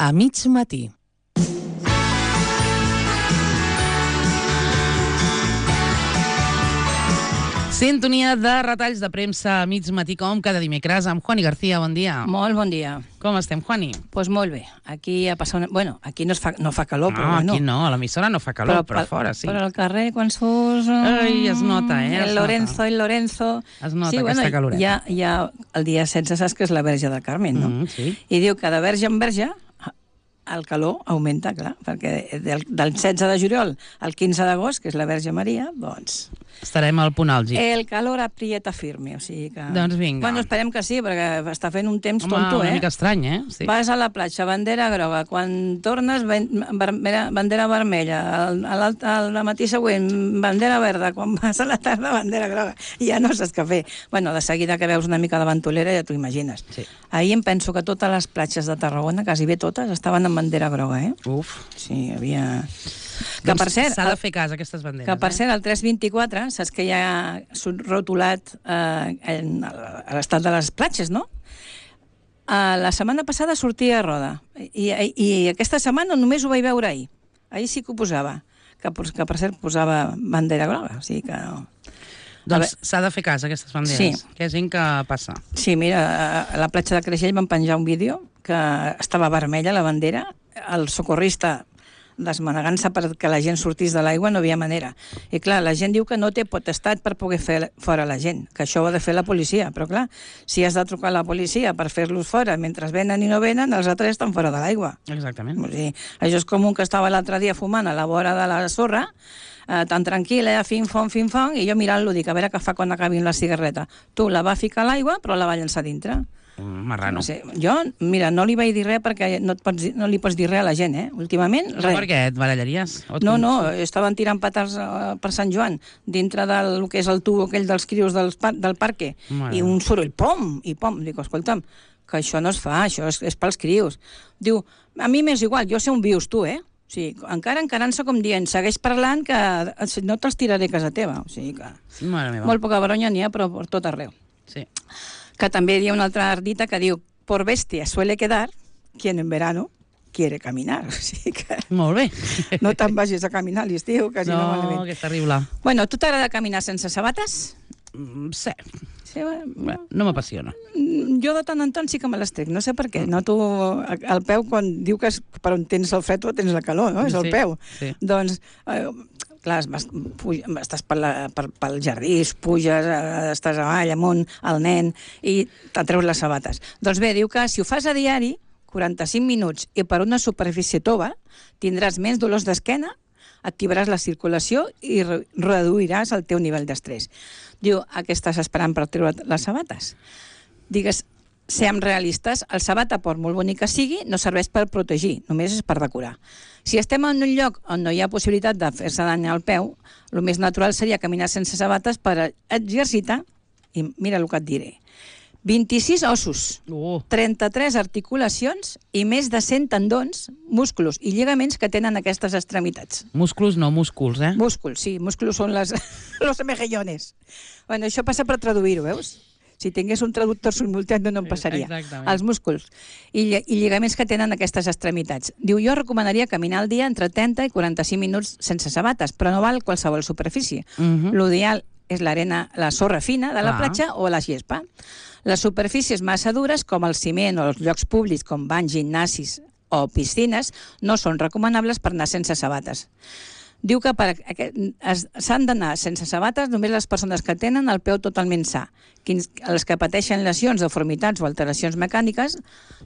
a mig matí. Sintonia de retalls de premsa a mig matí, com cada dimecres, amb Juani García. Bon dia. Molt bon dia. Com estem, Juani? Doncs molt bé. Aquí ha passat... Bueno, aquí no fa calor, però bueno. Aquí no, a l'emissora no fa calor, però fora sí. Però al carrer, quan surts... Ai, es nota, El Lorenzo... Es nota sí, aquesta caloreta. Ja el dia 16 saps que és la Verge del Carmen, no? Sí. I diu que de verge en verge el calor augmenta, clar, perquè del 16 de juliol al 15 d'agost, que és la Verge Maria, doncs... Estarem al punt àlgid. El calor aprieta firme, o sigui que... Doncs vinga. Bueno, esperem que sí, perquè està fent un temps tonto, Home, una mica estrany, Sí. Vas a la platja, bandera groga, quan tornes, bandera vermella, al matí següent, bandera verda, quan vas a la tarda, bandera groga, i ja no saps què fer. Bueno, de seguida que veus una mica de ventolera ja t'ho imagines. Sí. Ahir em penso que totes les platges de Tarragona, quasi bé totes, estaven amb bandera groga, Uf. Sí, hi havia... Que doncs per cert... s'ha de fer cas a aquestes banderes. Que per cert, el 324, saps que ja ha rotulat a l'estat de les platges, no? La setmana passada sortia a roda. I aquesta setmana només ho vaig veure ahir. Ahir sí que ho posava. Que per cert posava bandera groga. O sigui que no. Doncs s'ha de fer cas a aquestes banderes. Sí. Que és gent que passa. Sí, mira, a la platja de Creixell van penjar un vídeo que estava vermella la bandera. El socorrista desmanegant-se perquè la gent sortís de l'aigua, no havia manera. I clar, la gent diu que no té potestat per poder fer fora la gent, que això ho ha de fer la policia, però clar, si has de trucar a la policia per fer-los fora mentre venen i no venen, els altres estan fora de l'aigua. Exactament. O sigui, això és com un que estava l'altre dia fumant a la vora de la sorra, tan tranquil, fin-fon, i jo mirant-lo, dic, a veure què fa quan acabin la cigarreta. Tu la va ficar a l'aigua, però la va llençar dintre. Marrano. No sé, jo, mira, no li vaig dir res perquè no li pots dir res a la gent, últimament, res. No, perquè et barallaries? No, estaven tirant patas per Sant Joan, dintre del que és el tubo aquell dels crios del parque, i un soroll, pom, i pom. Dic, escolta'm, que això no es fa, això és pels crios. Diu, a mi m'és igual, jo sé on vius tu, O sigui, encara encarant-se com dient, segueix parlant que no te'ls tiraré a casa teva. O sigui que... Mare meva. Molt poca baronya n'hi ha, però per tot arreu. Sí. Que també hi ha una altra ardita que diu, por bestia suele quedar quien en verano quiere caminar. O sigui que... Molt bé. No te'n vagis a caminar a l'estiu, que si no malament. No, que és terrible. Bueno, tu t'agrada caminar sense sabates? Sí. Sí, bueno, no m'apassiona. Jo de tant en tant sí que me les trec, no sé per què. Noto el peu quan diu que és per on tens el fred o tens la calor, no? És el peu. Sí. Doncs... clar, estàs pel jardí, puges, estàs avall, amunt, el nen, i t'atreus les sabates. Doncs bé, diu que si ho fas a diari, 45 minuts, i per una superfície tova, tindràs menys dolors d'esquena, activaràs la circulació i reduiràs el teu nivell d'estrès. Diu, a què estàs esperant per treure les sabates? Digues, siguem realistes, el sabata, per molt bonic que sigui, no serveix per protegir, només és per decorar. Si estem en un lloc on no hi ha possibilitat de fer-se dany al peu, el més natural seria caminar sense sabates per exercitar, i mira el que et diré, 26 ossos, 33 articulacions i més de 100 tendons, músculs i lligaments que tenen aquestes extremitats. Músculs, no músculs, Músculs, sí, músculs són los mejillones. Bueno, això passa per traduir-ho, veus? Si tingués un traductor simultani no em passaria. Exactament. Els músculs i lligaments que tenen aquestes extremitats. Diu, jo recomanaria caminar al dia entre 30 i 45 minuts sense sabates, però no val qualsevol superfície. L'ideal és l'arena, la sorra fina de la platja o la gespa. Les superfícies massa dures, com el ciment o els llocs públics, com banys, gimnasis o piscines, no són recomanables per anar sense sabates. Diu que s'han d'anar sense sabates només les persones que tenen el peu totalment sa. Els que pateixen lesions, deformitats o alteracions mecàniques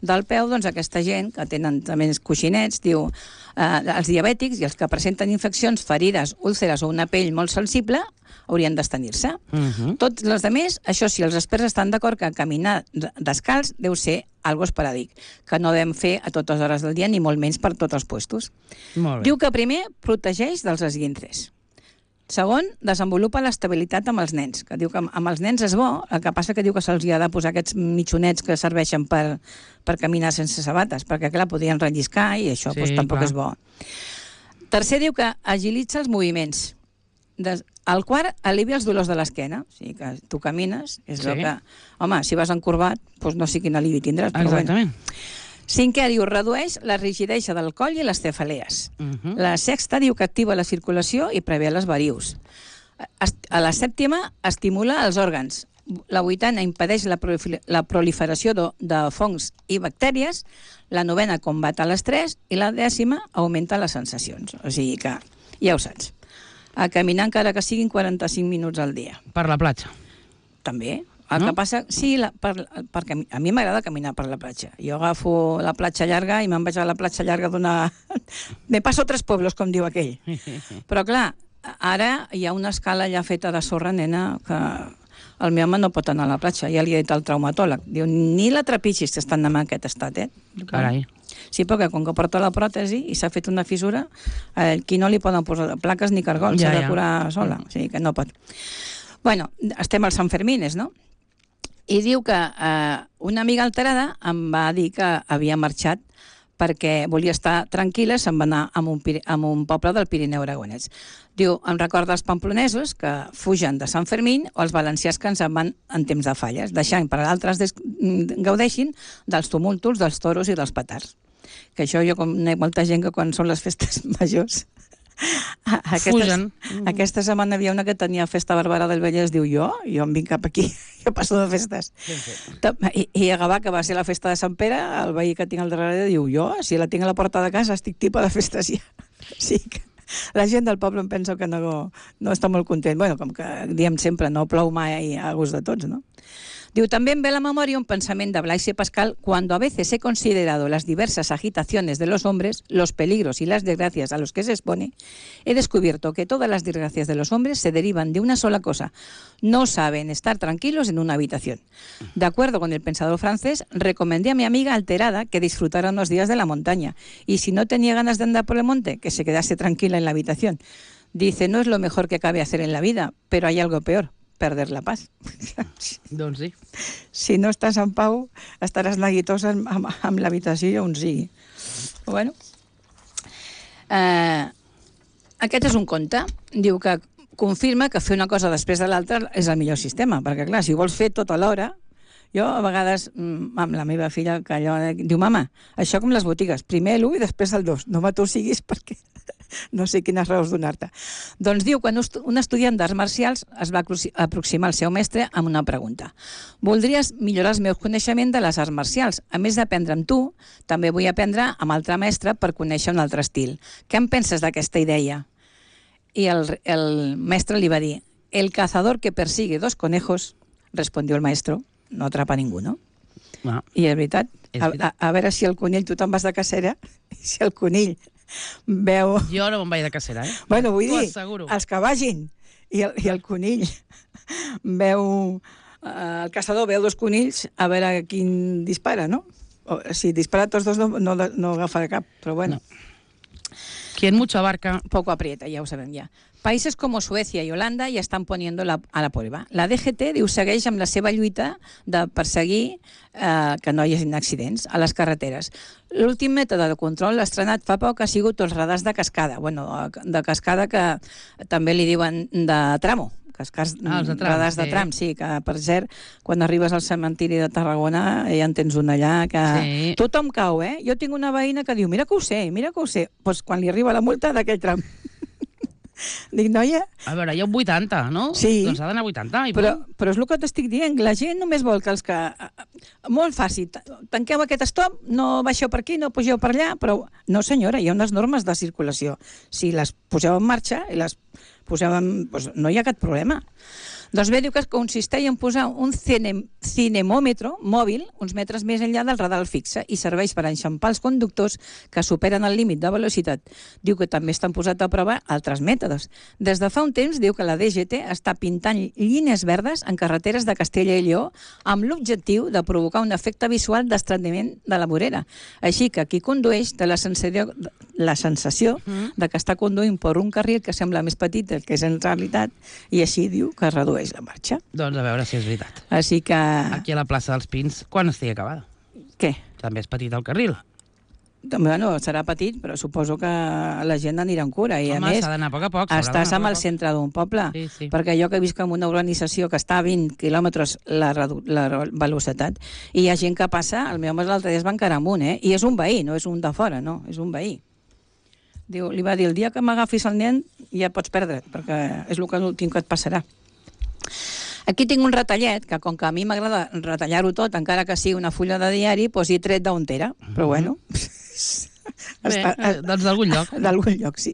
del peu, doncs aquesta gent que tenen també coixinets, diu, els diabètics i els que presenten infeccions, ferides, úlceres o una pell molt sensible, haurien d'estenir-se. Tots els altres, això sí, els experts estan d'acord que caminar descalç deu ser algo esporàdic, que no devem fer a totes hores del dia, ni molt menys per tots els puestos. Diu que primer protegeix dels esguinces. Segon, desenvolupa l'estabilitat amb els nens, que diu que amb els nens és bo, el que passa que diu que se'ls ha de posar aquests mitjonets que serveixen per caminar sense sabates, perquè clar, podrien relliscar i això tampoc és bo. Tercer, diu que agilitza els moviments. El quart, alivia els dolors de l'esquena. O sigui que tu camines, és el que... Home, si vas encorbat, doncs no sé quin alivi tindràs. Exactament. Cinquè, diu, redueix la rigidesa del coll i les cefalees. La sexta, diu que activa la circulació i prevé les varius. A la sèptima, estimula els òrgans. La vuitena, impedeix la proliferació de fongs i bactèries. La novena, combat l'estrès. I la 10ª, augmenta les sensacions. O sigui que, ja ho saps. A caminar encara que siguin 45 minuts al dia. Per la platja. També. El que passa, sí, perquè a mi m'agrada caminar per la platja. Jo agafo la platja llarga i me'n vaig a la platja llarga d'una... Me passo 3 pueblos, com diu aquell. Però clar, ara hi ha una escala ja feta de sorra, nena, que el meu home no pot anar a la platja. Ja li he dit al traumatòleg. Diu, ni la trepitgis, que estan en aquest estat, Carai. Sí, perquè com que porta la pròtesi i s'ha fet una fissura, aquí no li poden posar plaques ni cargols, s'ha de curar sola. O sigui que no pot. Bueno, estem als Sant Fermines, no? I diu que una amiga alterada em va dir que havia marxat perquè volia estar tranquil·la, se'n va anar a un poble del Pirineu aragonès. Diu, em recorda els pamplonesos que fugen de Sant Fermín o els valencians que ens en van en temps de falles, deixant per altres gaudeixin dels tumultos, dels toros i dels petards. Que això jo conec molta gent que quan són les festes majors... Aquesta setmana havia una que tenia festa Barberà del Vallès, diu jo em vinc cap aquí, jo passo de festes. I a Gavà, que va ser la festa de Sant Pere, el veí que tinc al darrere diu jo, si la tinc a la porta de casa, estic tipa de festes ja. Sí que la gent del poble em pensa que no està molt content. Bueno, com que diem sempre, no plou mai a gust de tots, no? Diu, també em ve a la memoria un pensamiento de Blaise Pascal: cuando a veces he considerado las diversas agitaciones de los hombres, los peligros y las desgracias a los que se expone, he descubierto que todas las desgracias de los hombres se derivan de una sola cosa: no saben estar tranquilos en una habitación. De acuerdo con el pensador francés, recomendé a mi amiga alterada que disfrutara unos días de la montaña, y si no tenía ganas de andar por el monte, que se quedase tranquila en la habitación. Dice, no es lo mejor que cabe hacer en la vida, pero hay algo peor: perder la paz. Doncs sí. Si no estàs en pau, estaràs neguitosa amb l'habitació on sigui. Bueno. Aquest és un conte. Diu que confirma que fer una cosa després de l'altra és el millor sistema, perquè clar, si vols fer tot a l'hora... Jo, a vegades, amb la meva filla, que allò diu, mama, això com les botigues, primer l'1 i després el 2, no m'atossiguis perquè no sé quines raons donar-te. Doncs diu, quan un estudiant d'arts marcials es va aproximar al seu mestre amb una pregunta. Voldries millorar els meus coneixements de les arts marcials. A més d'aprendre amb tu, també vull aprendre amb altre mestre per conèixer un altre estil. Què en penses d'aquesta idea? I el mestre li va dir, el cazador que persigue 2 conejos, respondió el maestro, no atrapa ningú, no? Ah. I és veritat. A veure si el conill, tu te'n vas de cacera, i si el conill veu... Jo no me'n vaig de cacera, Bueno, vull dir, els que vagin, i el conill veu... El caçador veu 2 conills, a veure quin dispara, no? O, si dispara tots 2 no agafarà cap, però bueno. No. Quien mucho abarca... Poco aprieta, ja ho sabem ja. Países como Suecia y Holanda ya están poniendo a la prueba. La DGT diu segueix amb la seva lluita de perseguir que no hi hagi accidents a les carreteres. L'últim mètode de control estrenat fa poc ha sigut els radars de cascada. Bueno, de cascada que també li diuen de tramo. Radars de tram, sí, que per cert, quan arribes al cementiri de Tarragona ja en tens un allà que tothom cau, Jo tinc una veïna que diu, mira que ho sé. Doncs quan li arriba la multa d'aquell tram. Dic, noia... A veure, hi ha un 80, no? Sí. Doncs ha d'anar 80. Però és el que t'estic dient, la gent només vol que els que... Molt fàcil, tanqueu aquest stop, no baixeu per aquí, no pugeu per allà, però no senyora, hi ha unes normes de circulació. Si les poseu en marxa i les poseu en... Doncs no hi ha cap problema. Doncs bé, diu que consisteix en posar un cinemòmetre mòbil uns metres més enllà del radar fixe i serveix per enxampar els conductors que superen el límit de velocitat. Diu que també estan posats a prova altres mètodes. Des de fa un temps diu que la DGT està pintant línies verdes en carreteres de Castella i Lleó amb l'objectiu de provocar un efecte visual d'estrenyiment de la vorera. Així que qui condueix té la sensació de que està conduint per un carril que sembla més petit del que és en realitat i així diu que redueix la marxa. Doncs a veure si és veritat. Així que... Aquí a la plaça dels Pins, quan estigui acabada? Què? També és petit el carril. Bueno, serà petit, però suposo que la gent anirà en cura. I, Home, a més, s'ha d'anar a poc a poc. estàs al centre d'un poble. Sí. Perquè jo que visc en una urbanització que està a 20 quilòmetres la velocitat, i hi ha gent que passa, el meu home l'altre dia es va encarar amunt, i és un veí, no és un de fora, no, és un veí. Diu, li va dir, el dia que m'agafis el nen ja pots perdre, perquè és l'últim que et passarà. Aquí tinc un retallet, que com que a mi m'agrada retallar-ho tot, encara que sigui una fulla de diari, doncs hi he tret d'un tera, però bueno... Bé, doncs d'algun lloc. D'algun lloc, sí.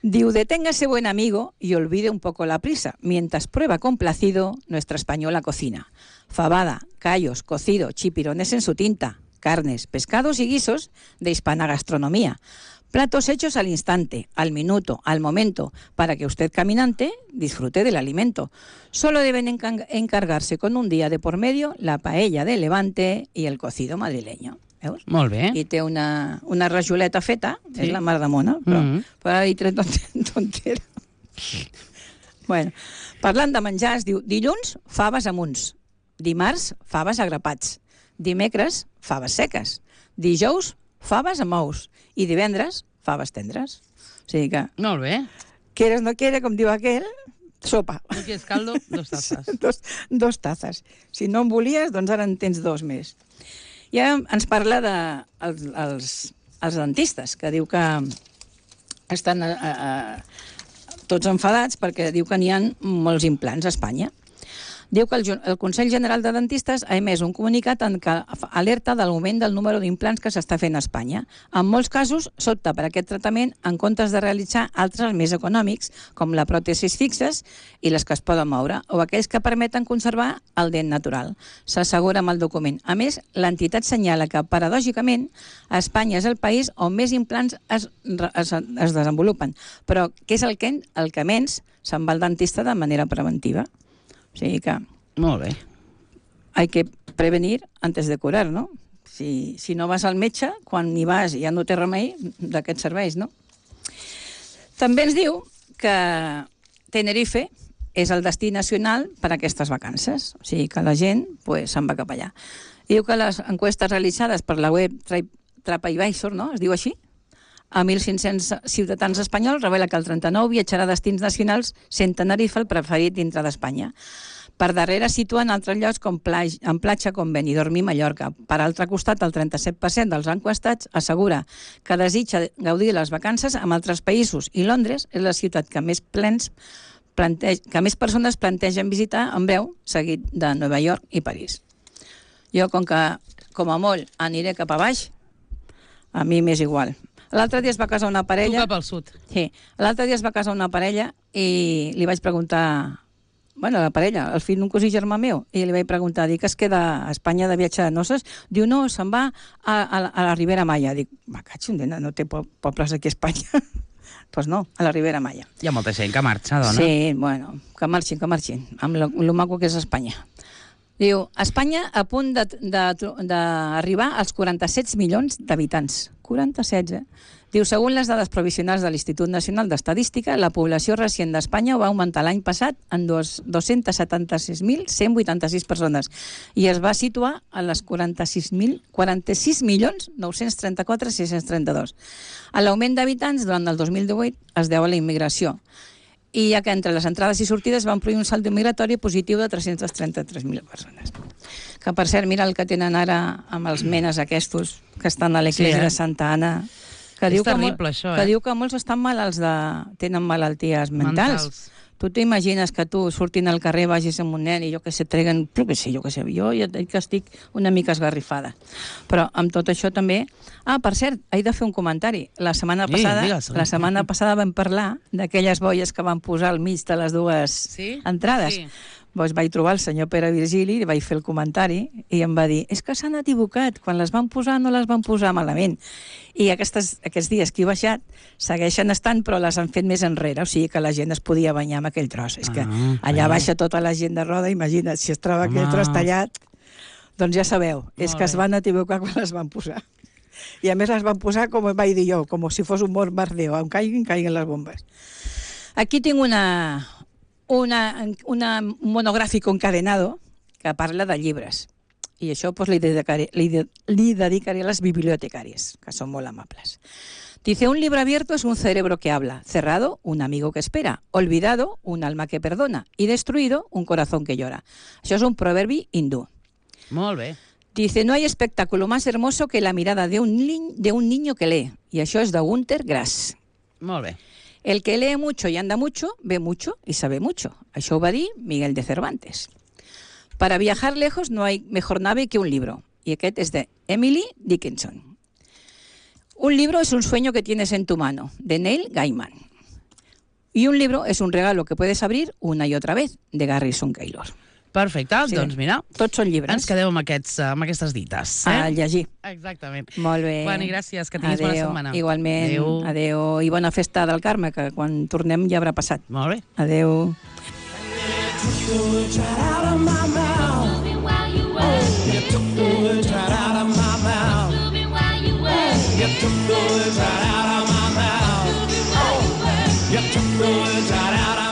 Diu, deténgase buen amigo y olvide un poco la prisa, mientras prueba complacido nuestra española cocina. Fabada, callos, cocido, chipirones en su tinta, carnes, pescados y guisos de hispana gastronomía. Platos hechos al instante, al minuto, al momento, para que usted, caminante, disfrute del alimento. Solo deben encargarse con un día de por medio la paella de Levante y el cocido madrileño. Veus? Molt bé. I té una rajoleta feta, sí. És la mar de mona, però ara hi tret tontera. Bueno, parlant de menjars, diu, dilluns, faves amunts. Dimarts, faves a grapats. Dimecres, faves seques. Dijous, faves amb ous. I divendres, faves tendres. O sigui que... Molt bé. Quieres no quiere, com diu aquell, sopa. No quieres caldo, 2 tazas. Dos tazas. Si no en volies, doncs ara en tens 2 més. Ja ens parla de els dentistes, que diu que estan tots enfadats perquè diu que n'hi ha molts implants a Espanya. Diu que el Consell General de Dentistes ha emès un comunicat en què alerta de l'augment del número d'implants que s'està fent a Espanya. En molts casos, s'opta per aquest tractament en comptes de realitzar altres més econòmics, com la pròtesis fixes i les que es poden moure, o aquells que permeten conservar el dent natural. S'assegura amb el document. A més, l'entitat senyala que, paradògicament, Espanya és el país on més implants es desenvolupen, però que és el que menys se'n va al dentista de manera preventiva. O sigui que... Molt bé. Hay que prevenir antes de curar, no? Si no vas al metge, quan hi vas ja no té remei d'aquests serveis, no? També ens diu que Tenerife és el destí nacional per a aquestes vacances. O sigui que la gent se'n va cap allà. Diu que les enquestes realitzades per la web TripAdvisor, no? Es diu així? A 1.500 ciutadans espanyols revela que el 39 viatjarà a destins nacionals sent Tenerife el preferit dintre d'Espanya. Per darrere situen altres llocs en platja com Benidorm i Mallorca. Per altre costat, el 37% dels enquestats assegura que desitja gaudir de les vacances amb altres països i Londres és la ciutat que més persones plantegen visitar en breu, seguit de Nova York i París. Jo, com a molt, aniré cap a baix, a mi m'és igual. L'altre dia es va casar una parella... Tu cap al sud. Sí. L'altre dia es va casar una parella i li vaig preguntar... Bueno, la parella, el fill d'un cosí germà meu, i li vaig preguntar, dic, es queda a Espanya de viatge de noces? Diu, no, se'n va a la Ribera Maya. Dic, m'acatxo, no té pobles aquí a Espanya. Doncs no, a la Ribera Maya. Hi ha molta gent que marxa, dona. Sí, bueno, que marxin, amb lo maco que és Espanya. Diu, Espanya a punt d'arribar als 47 milions d'habitants. 47, Diu, segons les dades provisionals de l'Institut Nacional d'Estadística, la població recient d'Espanya va augmentar l'any passat en 276.186 persones i es va situar a les 46.934.632. L'augment d'habitants durant el 2018 es deu a la immigració, i ja que entre les entrades i sortides van produir un saldo migratori positiu de 333.000 persones. Que, per cert, mira el que tenen ara amb els menes aquests que estan a l'església de Santa Anna, que diu terrible, això, que diu que molts estan malalts tenen malalties mentals. Tu t'imagines que tu sortint al carrer vagis amb un nen i jo que sé, treguen, jo ja dic que estic una mica esgarrifada. Però amb tot això també... per cert, he de fer un comentari. La setmana passada vam parlar d'aquelles boies que van posar al mig de les dues entrades. Sí. Doncs vaig trobar el senyor Pere Virgili, li vaig fer el comentari i em va dir, és que s'han equivocat, quan les van posar no les van posar malament. I aquests dies que he baixat segueixen estant, però les han fet més enrere, o sigui que la gent es podia banyar amb aquell tros. És que allà baixa tota la gent de roda, imagina't, si es troba aquell tros tallat, doncs ja sabeu, és que es van equivocar quan les van posar. I a més les van posar, com vaig dir jo, com si fos un bombardeo, on caiguin les bombes. Aquí tinc un monogràfic encadenado que parla de llibres. I això pues, li dedicaré a les bibliotecàries, que són molt amables. Dice, un libro abierto es un cerebro que habla, cerrado, un amigo que espera, olvidado, un alma que perdona, y destruido, un corazón que llora. Això és un proverbi hindú. Molt bé. Dice, no hay espectáculo más hermoso que la mirada de un niño que lee. Y això es de Günter Grass. Molt bé. El que lee mucho y anda mucho, ve mucho y sabe mucho. Això ho va dir Miguel de Cervantes. Para viajar lejos no hay mejor nave que un libro. Y aquest és de Emily Dickinson. Un libro es un sueño que tienes en tu mano, de Neil Gaiman. Y un libro es un regalo que puedes abrir una y otra vez, de Garrison Keillor. Perfecte, sí. Doncs mira, tots són llibres. Ens quedem amb aquestes dites. A llegir. Exactament. Molt bé. Juani, gràcies, que tinguis bona setmana. Igualment. Adéu. I bona festa del Carme, que quan tornem ja haurà passat. Molt bé. Adéu. You took the words right out of my mouth. You took the words out.